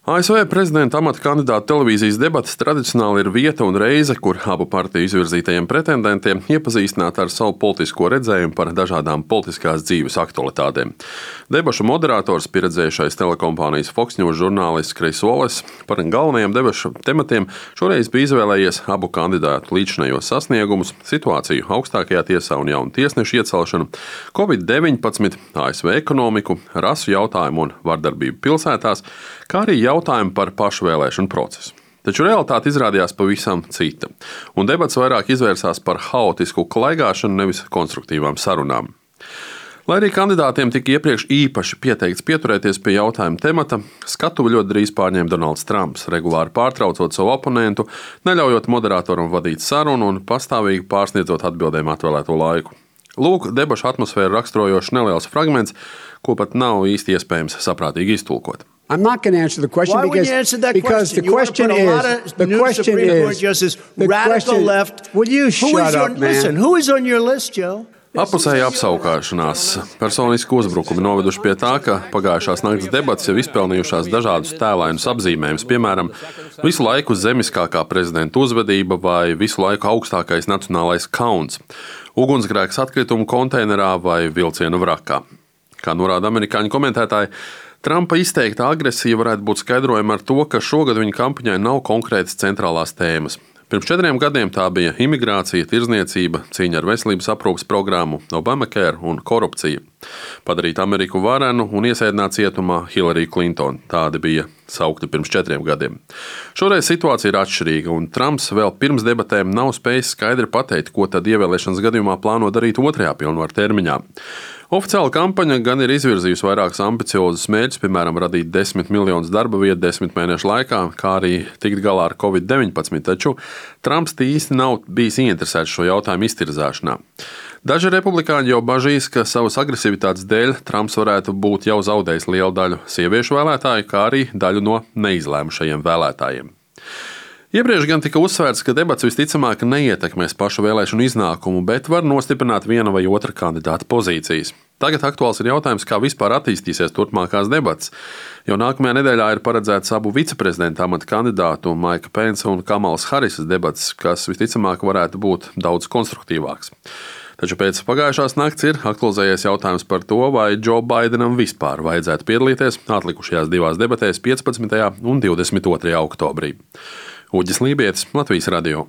ASV prezidenta amata kandidātu televīzijas debates tradicionāli ir vieta un reize, kur abu partiju izvirzītajiem pretendentiem iepazīstināt ar savu politisko redzējumu par dažādām politiskās dzīves aktualitātēm. Debašu moderators, pieredzējušais telekompānijas Fox News žurnālists Kris Voles, par galvenajiem debašu tematiem šoreiz bija izvēlējies abu kandidātu līdzinējos sasniegumus, situāciju augstākajā tiesā un jaunu tiesnešu iecelšanu, Covid-19, ASV ekonomiku, rasu jautājumu un vardarbību pilsētās, kā arī jautājumu par pašvēlēšanu procesu. Taču realitāte izrādījās pavisam cita, un debats vairāk izvērsās par haotisku klaigāšanu, nevis konstruktīvām sarunām. Lai arī kandidātiem tika iepriekš īpaši pieteikts pieturēties pie jautājuma temata, skatuvi ļoti drīz pārņēma Donalds Trumps, regulāri pārtraucot savu oponentu, neļaujot moderatoram vadīt sarunu un pastāvīgi pārsniedzot atbildēm atvēlēto laiku. Lūk, debašu atmosfēru raksturojošs neliels fragments, ko pat nav īsti iespējams saprātīgi iztulkot. I'm not going to answer the question. Why would you answer that question? The question is radical left. Will you shut up, man? Listen, who is on your list, Joe? Apusēja apsaukāšanās, personiski uzbrukumi noveduši pie tā, ka pagājušās nakts debates jau izpelnījušās dažādus tēlainus apzīmējumus, piemēram, visu laiku zemiskākā prezidenta uzvedība vai visu laiku augstākais nacionālais kauns, ugunsgrēks atkritumu konteinerā vai vilcienu vrakā. Kā norāda amerikāņu komentētāji, Trumpa izteikta agresija varētu būt skaidrojama ar to, ka šogad viņa kampaņai nav konkrētas centrālās tēmas. Pirms 4 gadiem tā bija imigrācija, tirdzniecība, cīņa ar veselības aprūpes programmu, Obamacare un korupcija. Padarīt Ameriku varenu un iesēdināt cietumā Hillary Clinton. Tādi bija saukti pirms 4 gadiem. Šoreiz situācija ir atšķirīga, un Trumps vēl pirms debatēm nav spējis skaidri pateikt, ko tad ievēlēšanas gadījumā plāno darīt 2. pilnvaru termiņā. Oficiāla kampaņa gan ir izvirzījusi vairākus ambiciozus mērķus, piemēram, radīt 10 miljonus darba vietu 10 mēnešu laikā, kā arī tikt galā ar Covid-19, taču Trumps īsti nav bijis ieinteresēts šo jautājumu iztirzāšanā. Daži republikāņi jau bažīs, ka savas agresivitātes dēļ Trumps varētu būt jau zaudējis lielu daļu sieviešu vēlētāju, kā arī daļu no neizlēmušajiem vēlētājiem. Iepriekš gan tika uzsvērts, ka debats visticamāk neietekmēs pašu vēlēšanu iznākumu, bet var nostiprināt viena vai otra kandidāta pozīcijas. Tagad aktuāls ir jautājums, kā vispār attīstīsies turpmākās debates, jo nākamajā nedēļā ir paredzēts abu viceprezidenta amata kandidātu Maika Pensa un Kamalas Harisas debates, kas visticamāk varētu būt daudz konstruktīvāks. Taču pēc pagājušās nakts ir aktualizējies jautājums par to, vai Džo Baidenam vispār vajadzētu piedalīties atlikušajās 2 debatēs 15. un 22. oktobrī. Uģis Lībietis, Latvijas radio.